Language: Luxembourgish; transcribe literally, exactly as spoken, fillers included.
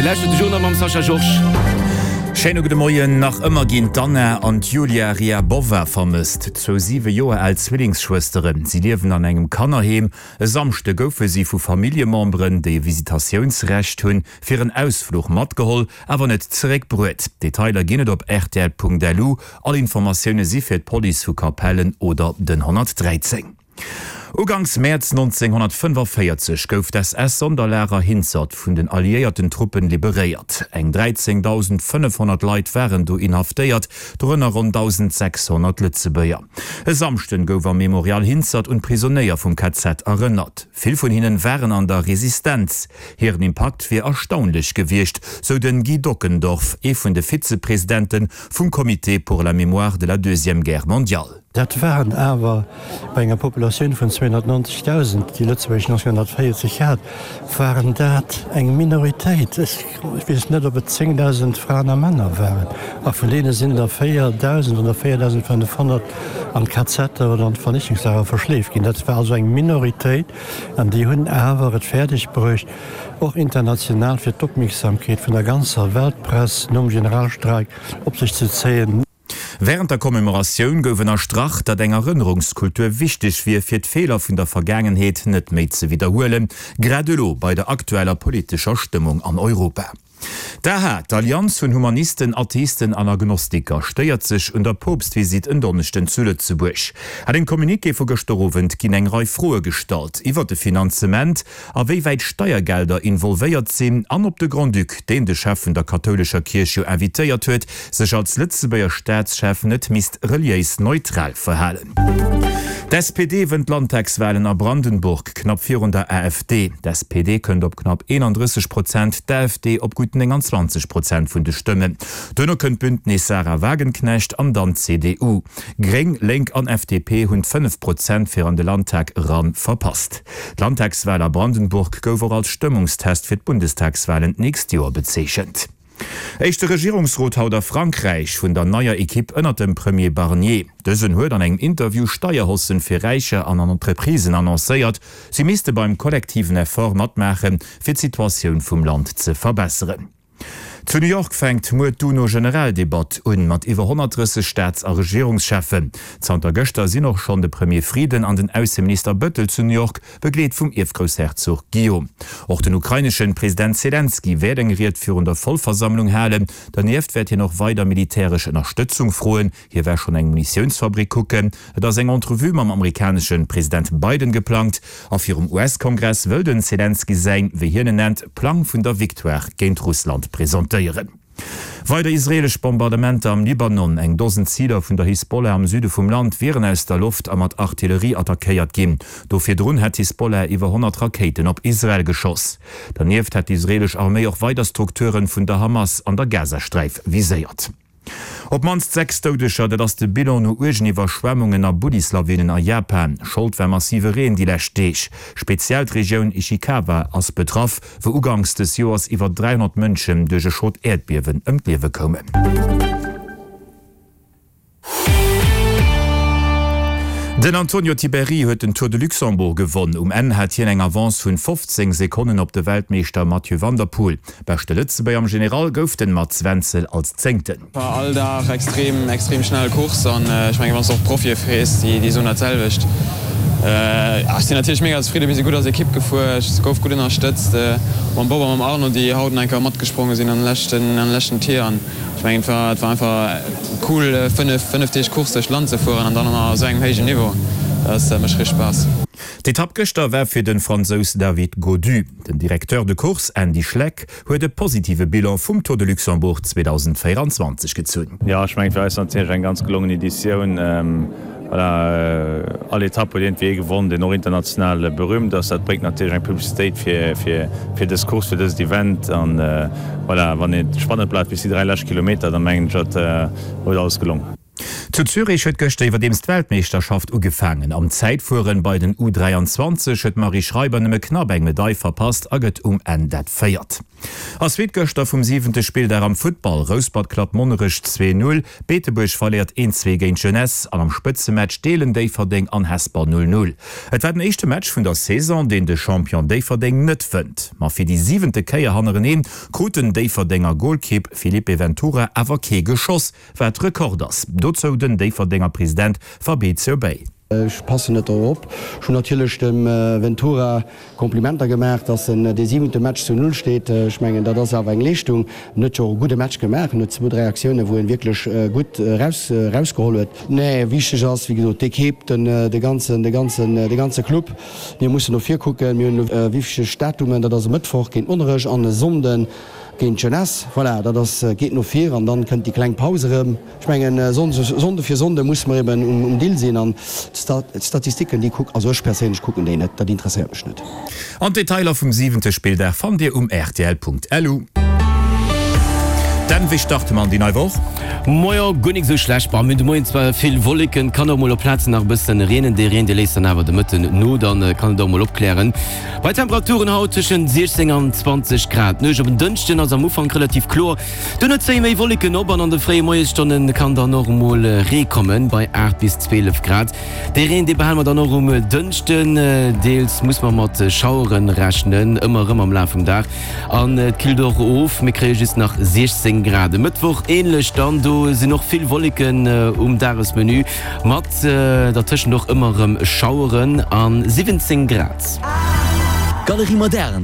Dir lauschtert de Journal mam Sascha Georges. Schéine gudde Moien. Nach ëmmer ginn d'Anna an d'Julia Ryabova vermësst, zwou siwe Joer al Zwillingsschwësteren. Si liewen an engem Kannerheem. E Samschde goufe si vu Familljememberen, déi e Visitatiounsrecht hunn, fir en Ausfluch matgeholl, awer net zeréckbruet. Detailer ginn et op rtl.lu. All Informatioune si fir d'Police vu Capellen oder den honnertdräizéng. Uganks Mäerz nonzénghonnertfënnefoféierzeg gouf d'S S-Sonderlager Hinzert vun den alliéierten Truppen liberéiert. Eng dräizéngdausendfënnefhonnert Leit waren do inhaftéiert, dorënner ronn dausendsechshonnert Lëtzebuerger. E Samschden gouf am Memorial Hinzert un d'Prisonéier vum K Z erënnert. Vill vun hinnen waren an der Resistenz. Hiren Impakt wier erstaunlech gewiescht, sou den Guy Dockendorf, ee vun de Vizepresidente vum Comité pour la mémoire de la deuxième guerre mondiale. Dat waren awer bei enger Populatioun vun zweehonnertneunzegdausend, déi Lëtzebuerg nonzénghonnertvéierzeg hat, waren dat eng Minoritéit. Ech weess net, ob et zéngdausend Fraen a Männer waren. A vun deene sinn der véierdausend oder véierdausendfënnefhonnert an d'Kazetter oder an d'Vernichtungslager verschleeft ginn. Dat war also eng Minoritéit an déi hunn awer et fäerdeg bruecht, och international fir d'Opmierksamkeet vun der ganzer Weltpress nom Generalstreik op sech ze zéien. Wärend der Commemoratioun gouf ënnerstrach, datt eng Erënnerungskultur wichteg wier, fir d'Feeler vun der Vergaangenheet net méi ze widderhuelen, grad elo bei der aktueller politescher Stëmmung an Europa. D'A H A, d'Allianz vun Humanisten, Atheisten an Agnostiker, stéiert sech un der Poopstvisitt en Donneschden zu Lëtzebuerg. An engem Communiqué vu gëschter Owend ginn eng Rei Froe gestallt iwwer de Finanzement, a wéi wäit Steiergelder involvéiert sinn an ob de Grand-Duc, deen de Chef vun der kathoulescher Kierch jo invitéiert huet, sech als Lëtzebuerger Staatschef net misst reliéis neutral verhalen. D' S P D wënnt d'Landtagswalen a Brandenburg knapp virun der A F D. D' S P D kënnt op knapp eenandrësseg Prozent, d'A F D op gutt nénganzwanzeg Prozent vun de Stëmmen. Duerno kënnt d'Bündnis Sahra Wagenknecht an dann d'C D U. Gréng, Lénk an F D P hunn d'fënnef Prozent fir an de Landtag eran verpasst. D'Landtagswal a Brandenburg gouf och als Stëmmungstest fir d'Bundestagswalen d'nächst Joer bezeechent. Éischte Regierungsrot haut a Frankräich vun der neier Ekipp ënnert dem Premier Barnier. Dësen huet an engem Interview Steierhaussen fir Räicher an an Entreprisen annoncéiert. Si misste beim kollektiven Effort matmaachen, fir d'Situatioun vum Land ze verbesseren. Zu New York fänkt muer d'UNO-Generaldebatt un, mat iwwer honnertdrësseg Staats a Regierungscheffen. Zanter gëschter sinn och schonn de Premier Frieden an den Ausseminister Bëttel zu New York, begleet vum Ierfgroussherzog Guillaume. Och den ukraineschen President Selenskyj wäert eng Ried virun der Vollversammlung halen. Dernieft wäert hien och weider militäresch Ënnerstëtzung froen. Hie war schonn eng Munitiounsfabrik kucken. Et ass eng Entrevue mam amerikaneschen President Biden geplangt. A virum U S-Kongress wëll den Selenskyj säin, wéi hien en nennt, Plang vun der Victoire géint Russland presentéieren. Weider israeelesch Bombardementer am Libanon, Eng Dosen Ziler vun der Hisbollah am Süde vum Land wieren aus der Loft a mat Artillerie attackéiert ginn. Do virdrun hätt d'Hisbollah iwwer honnert Rakéiten op Israel geschoss. Dernieft hätt d'israeelesch Arméi och weider Strukture vun der Hamas an der Gazasträif viséiert. Op d'mannst sechs Doudeger, dat ass de Bilan no uergen Iwwerschwemmungen a Bullislawinen a Japan. Schold war massive Reen déi lescht Deeg. Speziell d'Regioun Ishikawa ass betraff, wou uganks des Joers iwwer dräihonnert Mënschen duerch e schrot Äerdbiewen ëm d'Liewe koumen. Den Antonio Tiberi huet den Tour de Luxembourg gewonn. Um Enn hat hien eng Avance vun fofzéng Sekonnen op de Weltmeeschter Mathieu van der Poel. Beschte Lëtzebuerger am General gouf den Mats Wenzel als Zéngten. War all Dag extrem extrem schnell Course an ech mengen, wann s de och Profie frees, déi déi soen dat selwecht. Ech sinn natierlech mega zefridden, mir si gutt als Ekipp gefuer, ech gouf gutt ënnerstëtzt mam Bob a mam Arno, déi haut nach eng Kéier matgespronge sinn an de leschten an de leschten Tier an ech mengen et war et war einfach cool fënnef fënnef Deeg Course duerch d'Land ze fueren an dann och nach a sou engem héijen Niveau, dat mécht richteg Spaass. D'Etapp gëschter war fir de Fransous David Gaudu. Den Directeur de course Andy Schleck huet e positive Bilan vum Tour de Luxembourg zweedausendvéierenzwanzeg gezunn. Jo, ech mengen, et war eis natierlech eng ganz gelongen Editioun. Voilà, all Etapp huet iergendwéi ee gewonn, deen och international berühmt ass. Dat bréngt natierlech eng Publicitéit fir, fir, fir dës Course, fir dëst Event. An voilà, wann et spannend bleift bis déi dräi lescht Kilometer, da mengen ech, dat huet alles gelong. Zu Zürich huet gëschter iwwerdeems d'Weltmeeschterschaft ugefaangen. Am Zäitfueren bei den U dräianzwanzeg huet d'Marie Schreiber nëmme knapp eng Medail verpasst a gëtt um Enn dat Véiert. A Suite gëschter vum siwente Spilldag am Futtball, Rouspert klappt Monnerech zwee Null, Beetebuerg verléiert een Zwee géint d'Jeunesse an am Spëtzematch deelen Déifferdeng an Hesper null Null. Et war den éischte Match vun der Saison, deen de Champion Déifferdeng net wënnt. Ma fir déi siwente Kéier hannereneen krut den Déifferdenger Golkipp Filipe Ventura awer kee Geschoss, wat Rekord ass. Dozou den Déifferdenger President Fabrizio Bei. Ech passen net drop op. Ech hunn natierlech dem Ventura Komplimenter gemaach, datt en dee siwente Match zu Null steet. Ech mengen, dat ass awer eng Leeschtung. En huet jo och e gudde Match gemaach. En huet zwou, dräi Aktiounen, wou en wierklech gutt eraus, erausgeholl huet. Nee, wichteg ass, wéi gesot, d'Ekipp, den, de ganzen, de ganzen, de ganze Club. Mir mussen no vir kucken. Mir hunn elo wichteg Datumen, dat ass e Mëttwoch géint Monnerech an e Sonnden géint d'Jeunesse. Voilà, dat ass, geet no vir an dann kënnt déi kleng Paus erëm. Ech mengen, Sonnde fir Sonnde musse mer eben um Dill sinn an d'Statistiken, déi kuck, also ech perséinlech kucken déi net, dat interesséiert mech net. An d'Detailer vum siwente Spilldag fannt Dir um rtl.lu. Dan, wéi starte mer an déi nei Woch? Moio, guer nik sou schlecht. Bon, mir hunn de Moien zwar vill Wolleken, kann och mol op Plazen nach e bëssen reenen. Dee Reen, dee léisst dann awer de Mëtten no, dann kann et och mol opklären. Bei Temperaturen haut tëschent siechzéng an zwanzeg Grad. D'Nuecht op en Dënschden ass am Ufank relativ kloer, duerno zéie méi Wolleken op an an de fréie Moiesstonne kann dann och emol Ree kommen, bei aacht bis zwielef Grad. Dee Reen, dee behale mer dann och um Dënschden. Deels muss mer mat Schauere rechnen, ëmmer erëm am Laf vum Dag. An et killt och of, mir kréie just nach siechzéng Grad. E Mëttwoch änlech dann, do sinn och vill Wolleken um Dagesmenü, mat dertëschent och ëmmer erëm Schaueren a siwwenzéng Grad. Galerie Moderne,